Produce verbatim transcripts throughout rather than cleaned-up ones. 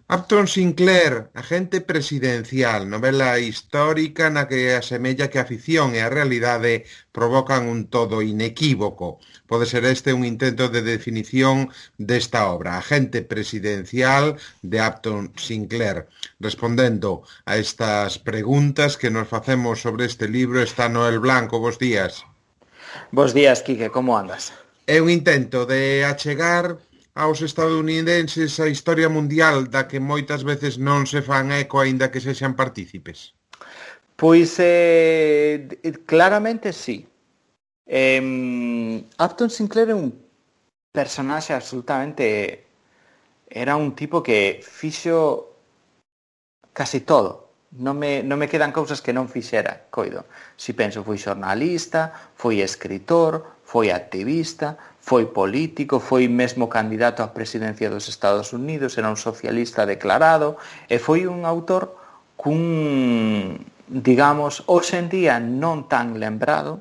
Upton Sinclair, agente presidencial, novela histórica na que asemella que a ficción e a realidade provocan un todo inequívoco. Pode ser este un intento de definición desta obra, Agente presidencial de Upton Sinclair. Respondendo a estas preguntas que nos facemos sobre este libro está Noel Blanco. Bos días. Bos días, Quique, como andas? É un intento de achegar aos estadounidenses a historia mundial da que moitas veces non se fan eco aínda que sexan partícipes. Pois eh, claramente sí. Eh, Upton Sinclair é un personaxe absolutamente... Era un tipo que fixo casi todo. Non me, non me quedan cousas que non fixera, coido. Si penso, foi xornalista, foi escritor, foi activista, foi político, foi mesmo candidato á presidencia dos Estados Unidos, era un socialista declarado, e foi un autor cun, digamos, hoxe en día non tan lembrado,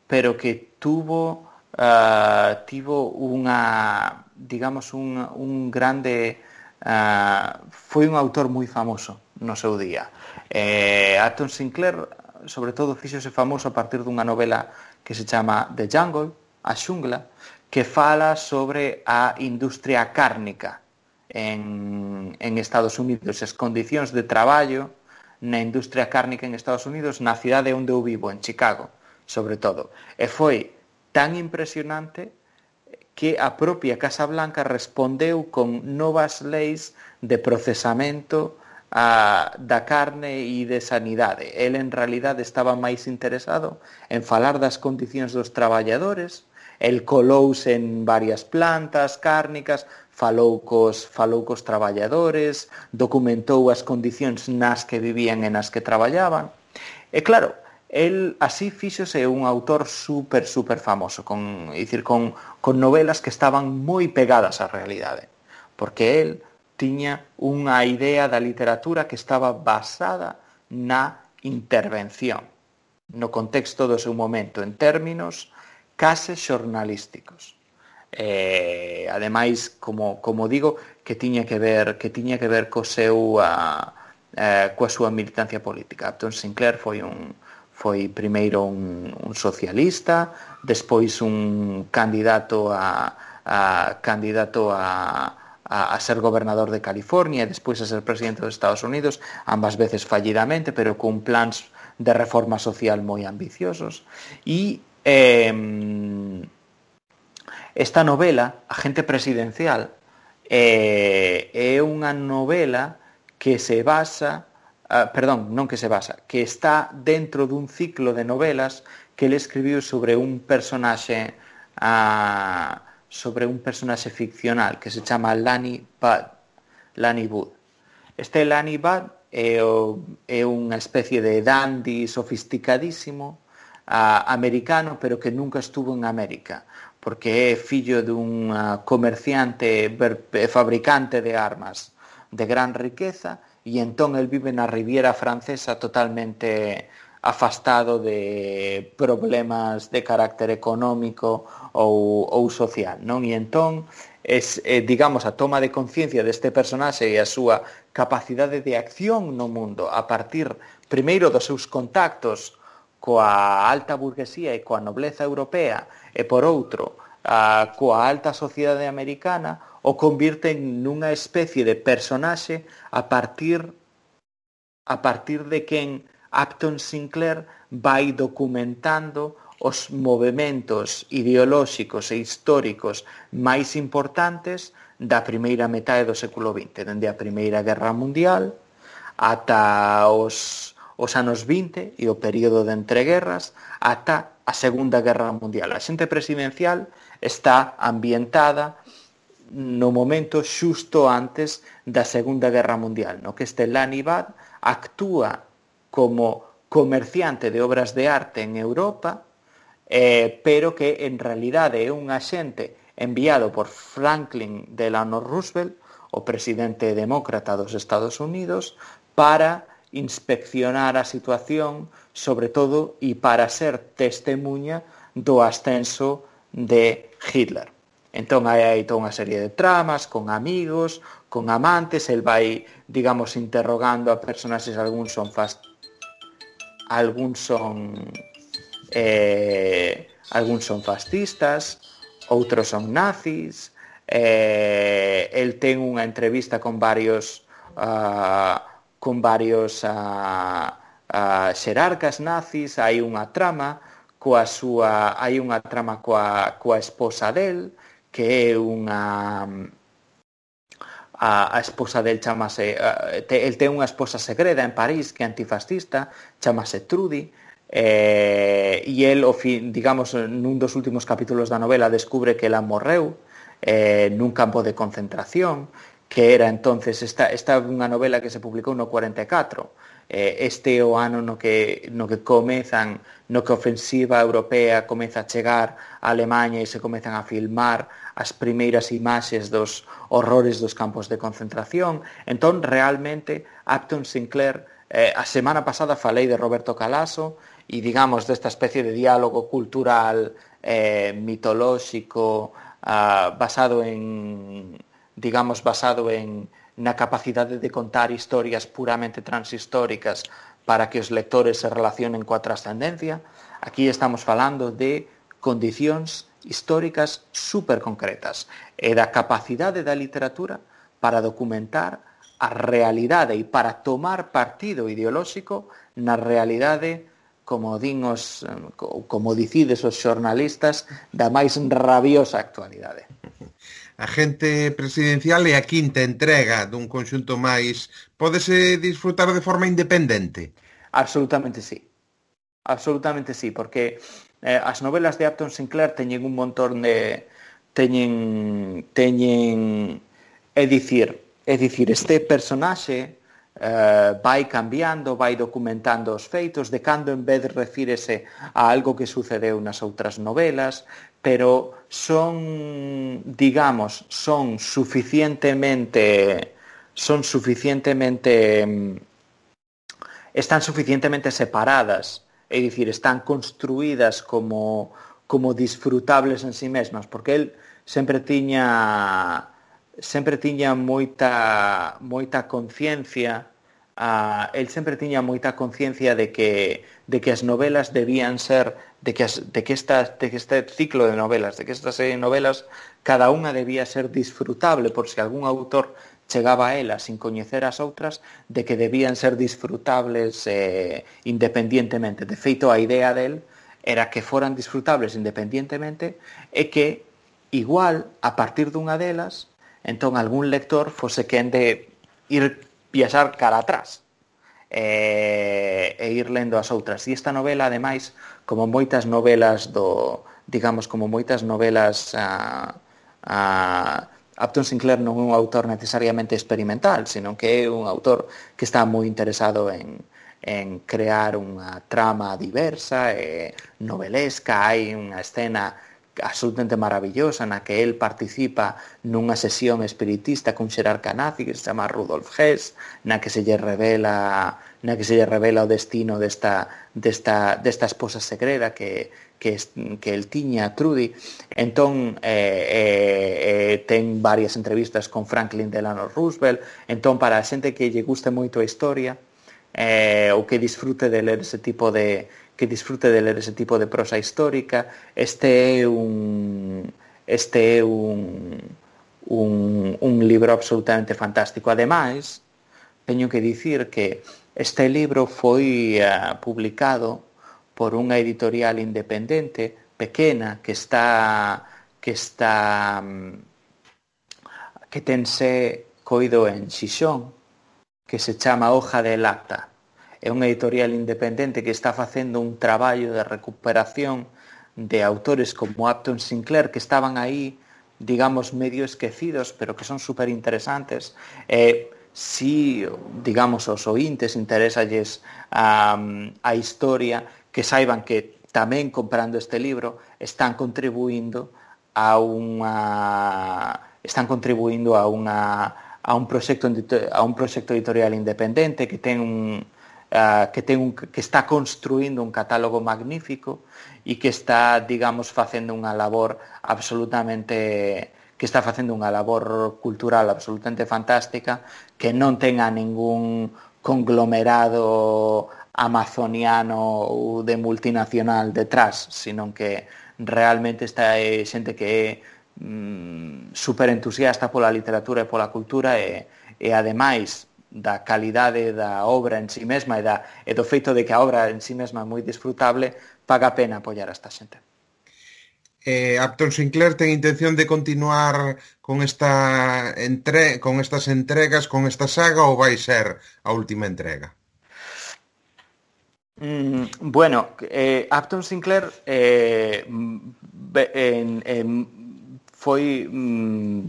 pero que tuvo, uh, tivo unha, digamos, un, un grande... Uh, foi un autor moi famoso no seu día. eh, Upton Sinclair sobre todo fíxose famoso a partir dunha novela que se chama The Jungle, a xungla, que fala sobre a industria cárnica en, en Estados Unidos, as condicións de traballo na industria cárnica en Estados Unidos, na cidade onde eu vivo, en Chicago, sobre todo. E foi tan impresionante que a propia Casa Blanca respondeu con novas leis de procesamento a, da carne e de sanidade. El, en realidade, estaba máis interesado en falar das condicións dos traballadores. El colouse en varias plantas cárnicas, falou cos, falou cos traballadores, documentou as condicións nas que vivían e nas que traballaban. E claro, el así fíxose un autor super, super famoso, con, dicir, con, con novelas que estaban moi pegadas á realidade, porque el tiña unha idea da literatura que estaba basada na intervención, no contexto do seu momento, en términos case xornalísticos. Eh, ademais, como, como digo, que tiña que ver, que tiña que ver co seu, a, a, coa súa militancia política. Upton Sinclair foi un foi primeiro un, un socialista, despois un candidato a, a candidato a, a, a ser gobernador de California e despois a ser presidente dos Estados Unidos, ambas veces fallidamente, pero con plans de reforma social moi ambiciosos. E eh, esta novela, Agente presidencial, eh, é unha novela que se basa Uh, perdón, non que se basa, que está dentro dun ciclo de novelas que ele escribiu sobre un personaxe uh, sobre un personaxe ficcional que se chama Lanny Budd. Lanny Budd. Este Lanny Budd é, o, é unha especie de dandy sofisticadísimo uh, americano, pero que nunca estuvo en América, porque é fillo dun uh, comerciante, fabricante de armas de gran riqueza, e entón el vive na Riviera Francesa totalmente afastado de problemas de carácter económico ou, ou social, non? E entón, es, eh, digamos, a toma de conciencia deste personaxe e a súa capacidade de acción no mundo a partir, primeiro, dos seus contactos coa alta burguesía e coa nobleza europea e, por outro, a, coa alta sociedade americana, o convirte nunha especie de personaxe a partir a partir de quen Upton Sinclair vai documentando os movementos ideolóxicos e históricos máis importantes da primeira metade do século vinte, dende a Primeira Guerra Mundial ata os, os anos vinte e o período de entreguerras ata a Segunda Guerra Mundial. A Xente presidencial está ambientada no momento xusto antes da Segunda Guerra Mundial, no que este Lanny Budd actúa como comerciante de obras de arte en Europa, eh, pero que en realidade é un axente enviado por Franklin Delano Roosevelt, o presidente demócrata dos Estados Unidos, para inspeccionar a situación, sobre todo, e para ser testemunha do ascenso de Hitler. Entón hai aí toda unha serie de tramas con amigos, con amantes, el vai, digamos, interrogando a personaxes, algúns son fast, algúns son eh, algúns son fascistas, outros son nazis, eh, el ten unha entrevista con varios uh, con varios uh, uh, xerarcas nazis, hai unha trama coa súa, hai unha trama coa, coa esposa del, que é unha a, a esposa del chamase uh, te, el ten unha esposa segreda en París que é antifascista, chamase Trudy, eh, e el, o fin, digamos, nun dos últimos capítulos da novela descubre que ela morreu eh, nun campo de concentración, que era entonces, esta, esta unha novela que se publicou no cuarenta e catro, eh, este o ano no que, no que comezan, no que a ofensiva europea comeza a chegar a Alemanha e se comezan a filmar as primeiras imaxes dos horrores dos campos de concentración. Entón, realmente, Upton Sinclair, eh, a semana pasada falei de Roberto Calasso e, digamos, desta especie de diálogo cultural eh, mitolóxico uh, basado en, digamos, basado en na capacidade de contar historias puramente transhistóricas para que os lectores se relacionen coa trascendencia. Aquí estamos falando de condicións históricas super concretas e da capacidade da literatura para documentar a realidade e para tomar partido ideolóxico na realidade, como din os, como dicides os xornalistas, da máis rabiosa actualidade. Agente presidencial é a quinta entrega dun conxunto máis. Pódese disfrutar de forma independente? Absolutamente sí. Absolutamente sí, porque eh, as novelas de Upton Sinclair teñen un montón de teñen teñen é dicir, é dicir, este personaxe eh, vai cambiando, vai documentando os feitos, de cando en vez refírese a algo que sucedeu nas outras novelas, pero son, digamos, son suficientemente son suficientemente están suficientemente separadas, é dicir, están construídas como como disfrutables en sí mesmas, porque el sempre tiña sempre tiña moita moita conciencia, uh, el sempre tiña moita conciencia de que de que as novelas debían ser de que as, de que esta de que este ciclo de novelas, de que esta serie de novelas cada unha debía ser disfrutable, por se algún autor chegaba a ela sin coñecer as outras, de que debían ser disfrutables eh, independientemente. De feito, a idea del era que foran disfrutables independientemente e que, igual, a partir dunha delas, entón algún lector fose quen de ir viaxar cara atrás e, e ir lendo as outras. E esta novela, ademais, como moitas novelas do, digamos, como moitas novelas a, a Upton Sinclair non é un autor necesariamente experimental, senón que é un autor que está moi interesado en, en crear unha trama diversa e novelesca. Hai unha escena absolutamente maravillosa na que el participa nunha sesión espiritista cun xerarca nazi que se chama Rudolf Hess, na que se lle revela na que se lle revela o destino desta, desta, desta esposa segreda que, que, que el tiña, Trudy. Entón eh, eh, eh, ten varias entrevistas con Franklin Delano Roosevelt. Entón, para a xente que lle guste moito a historia eh, ou que disfrute de ler ese tipo de que disfrute de ler ese tipo de prosa histórica, este é un este é un un, un libro absolutamente fantástico. Ademais, teño que dicir que este libro foi uh, publicado por unha editorial independente pequena que está que está que tense coido en Xixón, que se chama Hoja de Lata. É unha editorial independente que está facendo un traballo de recuperación de autores como Upton Sinclair, que estaban aí, digamos, medio esquecidos, pero que son super interesantes. Eh, si, digamos, os ointes interesalles um, a historia, que saiban que tamén comprando este libro están contribuindo a unha están contribuindo a unha a un proxecto a un proxecto editorial independente que ten un uh, que, ten un, que está construindo un catálogo magnífico e que está, digamos, facendo unha labor absolutamente que está facendo unha labor cultural absolutamente fantástica, que non ten a ningún conglomerado amazoniano ou de multinacional detrás, sino que realmente está é xente que é mm, super entusiasta pola literatura e pola cultura e, e ademais da calidade da obra en sí mesma e, da, e do feito de que a obra en sí mesma é moi disfrutable, paga a pena apoiar a esta xente. Eh, Upton Sinclair ten intención de continuar con esta entre... con estas entregas, con esta saga, ou vai ser a última entrega? Mm, bueno, eh, Upton Sinclair eh, en, en, foi mm,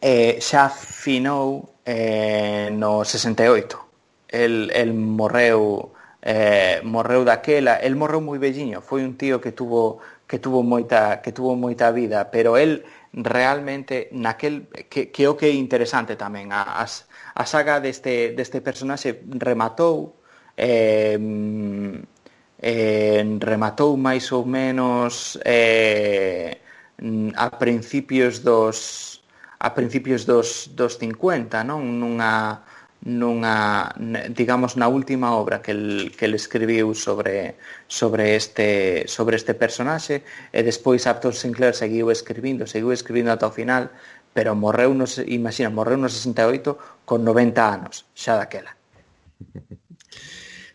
eh, xa finou eh, no sesenta e oito. El, el morreu eh, morreu daquela, el morreu moi velliño, foi un tío que tuvo que tuvo moita que tuvo moita vida, pero el realmente naquel que que o que é interesante tamén a, a, a saga deste deste personaxe rematou eh, eh, rematou máis ou menos eh, a principios dos a principios dos, dos cincuenta, non? Nunha, nunha, digamos, na última obra que el, que el escribiu sobre, sobre, este, sobre este personaxe, e despois Upton Sinclair seguiu escribindo, seguiu escribindo ata o final, pero morreu, no, imagina, morreu no sesenta e oito con noventa anos, xa daquela.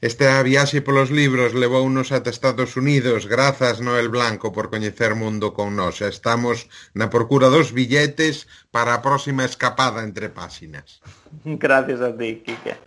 Esta viaxe polos libros levounos ata Estados Unidos. Grazas, Noel Blanco, por coñecer mundo con nós. Estamos na procura dos billetes para a próxima escapada entre páxinas. Gracias a ti, Quique.